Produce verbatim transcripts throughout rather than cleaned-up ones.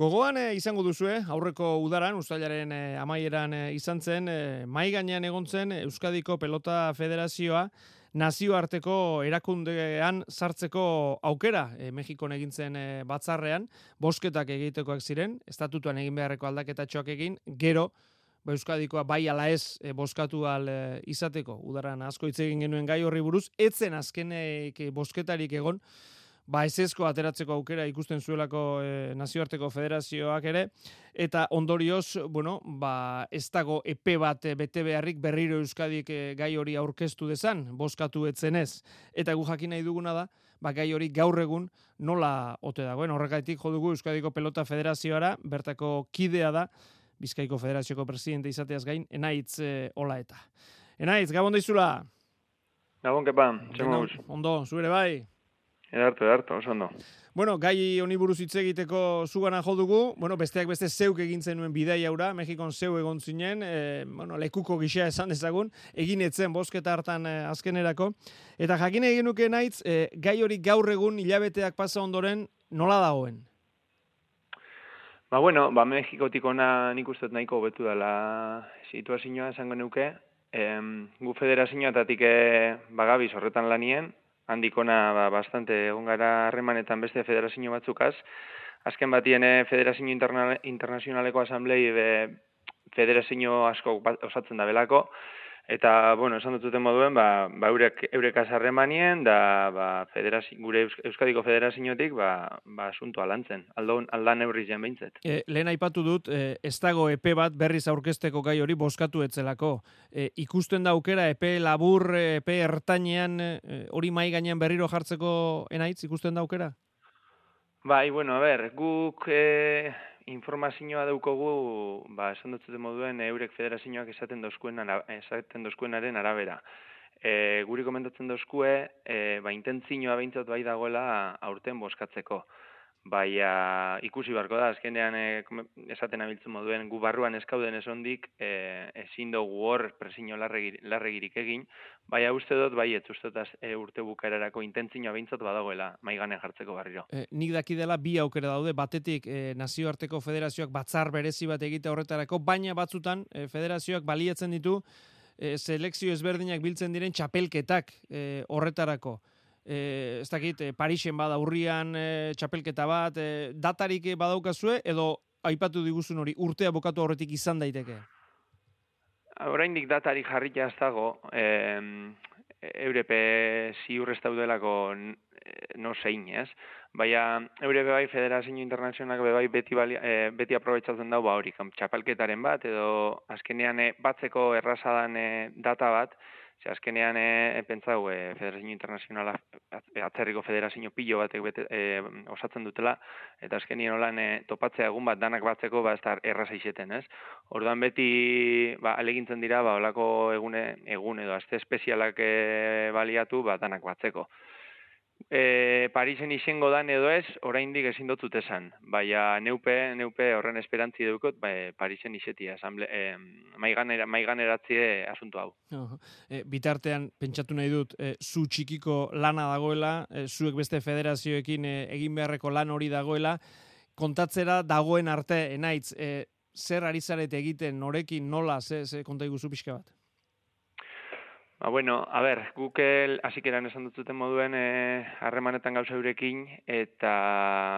Gogoan e, izango duzue, aurreko udaran, uztailaren e, amaieran e, izan zen, e, mai gainean egon zen Euskadiko Pelota Federazioa nazioarteko erakundean sartzeko aukera. E, Mexikon egin zen e, batzarrean, bosketak egitekoak ziren, estatutuan egin beharreko aldaketatxoak egin, gero, ba, Euskadikoa bai ala ez e, boskatu al e, izateko. Udaran asko hitz egin genuen gai horri buruz, etzen azkenek bosketarik egon, ba ezezko ateratzeko aukera ikusten zuelako e, nazioarteko federazioak ere, eta ondorioz, bueno, ba ez dago epe bat e, bete beharrik berriro Euskadik e, gai hori aurkeztu dezan, bozkatu etzenez, eta gu jakin nahi duguna da, ba gai hori gaur egun nola ote dagoen, horregaitik jo dugu Euskadiko Pelota Federazioara, bertako kidea da, Bizkaiko Federazioko presidente izateaz gain, Enaitz e, Olaeta. Enaitz, gabon daizula? Gabon, kepa, txemo guz. Ondo, zuere bai? Edartu, edartu, oso ondo. Bueno, gai honi buruz hitz egiteko zugana jo dugu, bueno, besteak beste zeuk egin zenuen bidai haura, Mexikon zeu egon zinen, e, bueno, lekuko gisa esan dezagun, egin etzen bosketa hartan e, azkenerako, eta jakin egin nuke Enaitz, e, gai hori gaur egun hilabeteak pasa ondoren nola dagoen? Ba, bueno, ba, Mexikotik ona nik uste nahiko hobetu dela situazioa esango nuke, em, gu federazioetatik e, bagabiz horretan lanien, handikona ba, bastante egon gara harremanetan beste federazio batzukaz. Azken batien federazio interna, internazionaleko asamblei be, federazio asko osatzen da belako, eta, bueno, esan dututen moduen, ba, ba eurek, eurekaz harremanien, da ba, gure Euskadiko federaziotik ba, ba asuntoa lantzen, aldan, aldan eurri zen behintzet. E, lehen aipatu dut, e, ez dago epe bat berriz aurkezteko gai hori bozkatu etzelako. E, ikusten da aukera epe labur, epe ertainean e, hori mai gainean berriro jartzeko Enaitz, ikusten da aukera? Bai, bueno, a ber, guk e, informazioa daukogu, ba, esan dut moduen, eurek federazioak esaten dozkuen, esaten dozkuenaren arabera. E, guri komentatzen dozkue, e, ba, intentzioa behintzat bai dagoela aurten boskatzeko. Baina ikusi barko da, azkenean e, esaten abiltzen moduen, gu barruan eskauden esondik, e, ezin dugu hor presiño larregir, larregirik egin, baina uste dut, bai, ez uste dut e, urte bukaerarako intentzioa behintzat badagoela maigane jartzeko barriro. E, nik daki dela bi aukera daude, batetik e, nazioarteko federazioak batzar berezi bat egite horretarako, baina batzutan e, federazioak baliatzen ditu e, selekzio ezberdinak biltzen diren txapelketak e, horretarako. E, ez dakit, e, Parisen bada urrian e, txapelketa bat, e, datarik badaukazue, edo aipatu diguzun hori, urtea bokatu horretik izan daiteke? Oraindik datarik jarrita ez dago, eh, eurepe ziur ez daudelako no zein, ez? Baina eurepe bai federazio internazionalak bai beti, bali, e, beti aprobetsatzen dago ba hori, txapelketaren bat, edo azkenean e, batzeko errazadan e, data bat, ze azkenean e, pentsau e, federazio internazionala, atzerriko federazio pilo batek bete, e, osatzen dutela, eta azkenean holan e, topatzea egun bat danak batzeko ba ez da erraza izeten, ez? Orduan beti ba, alegintzen dira ba holako egune egun edo aste espezialak e, baliatu ba danak batzeko. E, Parisen izango dan edo ez, oraindik ezin dutut esan. Baina neupe, neupe horren esperantzi dukot, ba, Parisen izetia, asamble, e, maiganera, maiganeratzie asunto hau. Uh, e, bitartean, pentsatu nahi dut, e, zu txikiko lana dagoela, e, zuek beste federazioekin e, egin beharreko lan hori dagoela, kontatzera dagoen arte, Enaitz, e, zer ari zarete egiten, norekin, nola, ze, ze konta iguzu pixka bat? Ba, bueno, a ber, guk hasikeran esan dutzuten moduen harremanetan e, gauza eurekin, eta,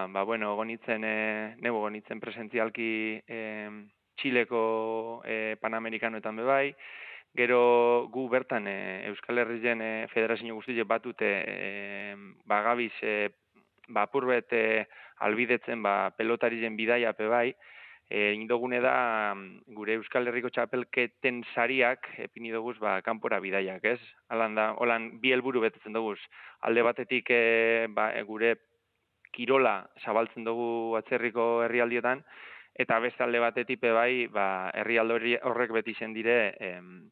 ba, bueno, gonitzen, e, nego gonitzen presentzialki e, Txileko e, Panamerikanoetan bebai, gero gu bertan e, Euskal Herrien e, federazio guztiek batute e, bagabiz e, ba, apurbet e, albidetzen ba, pelotarien bidaia bebai, E, indogune da gure Euskal Herriko txapelketen sariak epini duguz ba, kanpora bidaiak, ez? Alan da, holan bi helburu betetzen duguz. Alde batetik e, ba, e, gure kirola zabaltzen dugu atzerriko herrialdietan, eta beste alde batetik bai ba, herrialde horrek beti zen dire em,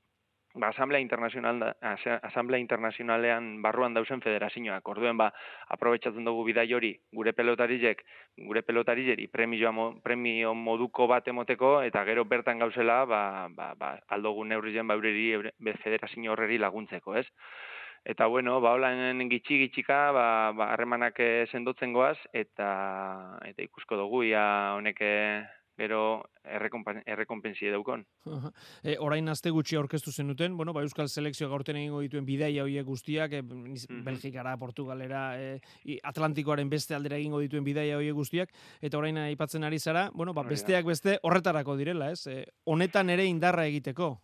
ba, asamblea internazional, asamblea internazionalean barruan dauzen federazioak. Orduen ba, aprobetsatzen dugu bidai hori gure pelotarizek, gure pelotarizeri premio, premio moduko bat emoteko, eta gero bertan gauzela ba, ba, ba, aldogun neurrizen ba, eureri, federazio horreri laguntzeko, ez? Eta bueno, ba holan gitxi gitxika, ba ba harremanak eh, sendotzen goaz eta eta ikusko dugu ia honek eh, gero errekonpa- errekonpensie daukon. Aha. E, orain aste gutxi aurkeztu zenuten, bueno, ba, Euskal Selekzioak aurten egingo dituen bidaia hoiek guztiak, e, niz- Mhm. Belgikara, Portugalera, e, i- Atlantikoaren beste aldera egingo dituen bidaia hoiek guztiak, eta orain aipatzen ari zara, bueno, ba, Hori da. besteak beste horretarako direla, ez? E, honetan ere indarra egiteko.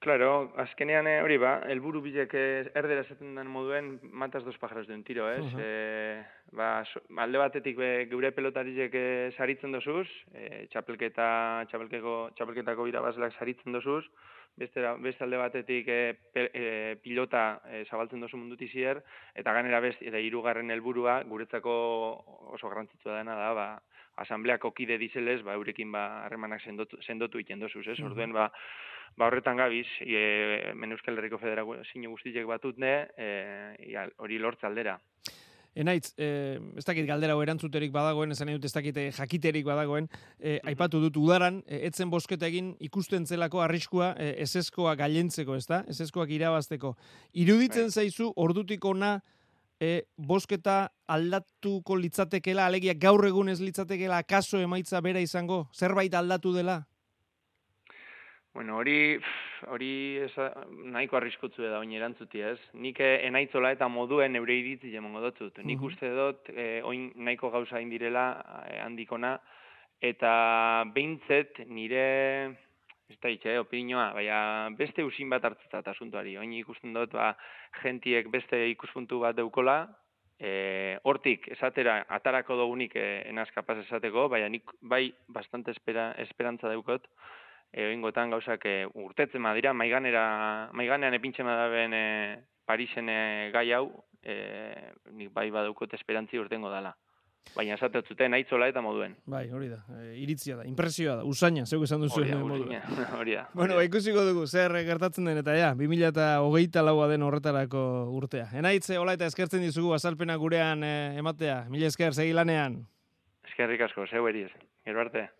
Claro, azkenean eh, hori ba, helburu bilek eh, erdera esaten den moduen matas dos pájaros de un tiro, ez? Aha. Eh, ba, so- alde batetik be, geure pelotariek eh, saritzen dozuz, eh, txapelketa, txapelkeko, txapelketako irabazleak saritzen dozuz, beste, beste alde batetik eh, pe, eh, pilota eh, zabaltzen dozu munduti zier, eta ganera beste, eta hirugarren helburua guretzako oso garrantzitsua dena da, ba, asambleako kide dizelez, ba, eurekin ba, harremanak sendotu, sendotu iten dozuz, ez? Mhm. Orduen, ba, ba horretan gabiz, e, hemen Euskal Herriko Federazio guztiek batutne, e, ia, hori lortze aldera. Enaitz, eh, ez dakit galdera hau erantzuterik badagoen, esan dut ez dakit eh, jakiterik badagoen, eh, aipatu dut udaran, eh, etzen bosketa egin ikusten zelako arriskua eh, eseskoa gailentzeko, ezta? Eseskoak irabazteko. Iruditzen Bai. zaizu ordutik ona eh, bosketa aldatuko litzatekela, alegia gaur egun ez litzatekela akaso emaitza bera izango, zerbait aldatu dela? Bueno, hori pff, hori esa, nahiko arriskutzu da oin erantzuti, ez? Nik eh, enaitzola eta moduen eure iritzi emango dutut. Nik Mhm. uste dut eh, oin nahiko gauza indirela eh, handikona, eta behintzet nire ez da itxe, opinioa, baina beste usin bat hartzetat asuntuari. Oin ikusten dut, ba, gentiek beste ikuspuntu bat deukola, e, hortik esatera atarako dugunik e, enaz kapaz esateko, baina nik bai bastante espera, esperantza daukot, e, oingotan gauzak e, urtetzen badira, maiganera, maiganean epintzen badaben e, Parisen e, gai hau, e, nik bai badaukot esperantzi urtengo dala. Baina esaten zuten aitzola eta moduen. Bai, hori da, e, iritzia da, impresioa da, usaina, zeuk esan duzu Hori da, moduen. usaina, hori da. Bueno, ba, ikusiko dugu, zer gertatzen den, eta ja, bi mila hogeita laua den horretarako urtea. Enaitze, hola eta eskertzen dizugu azalpena gurean eh, ematea. Mila esker, segi lanean. Eskerrik asko, zeu eriz. Gero arte.